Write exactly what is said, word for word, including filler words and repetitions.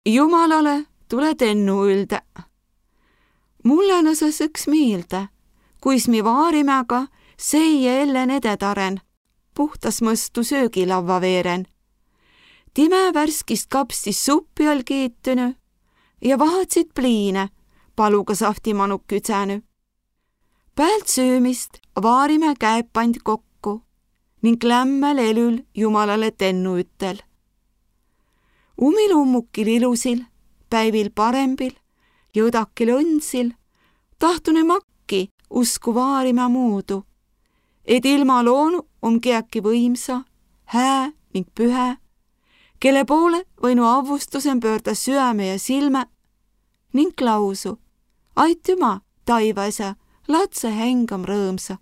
Jumalale tulõ tennu üldä. Mullõ nõsõ õks miilde, kuis mi Vaarimäga seie ellen ededaren, puhtas mõstu söögilavva veeren. Timä värskist kapstis suppi all kiitünü ja vahatsit pliine paluga sahvtimanuk küdsänü. Päält süümist Vaarimä käep pand kokku ning lämmäl elül Jumalale tennu üttel. Umil ummukil ilusil, päivil parembil ja õdakil õnnsil tahtunu makki usku Vaarimä muudu, et ilma loonu om kiäki võimsa, hää ning pühä, kelle poole võinu avvustusen pöörda süäme ja silmä ning lausu: Aitüma, Taivasä, latsõ hengam rõõmsa.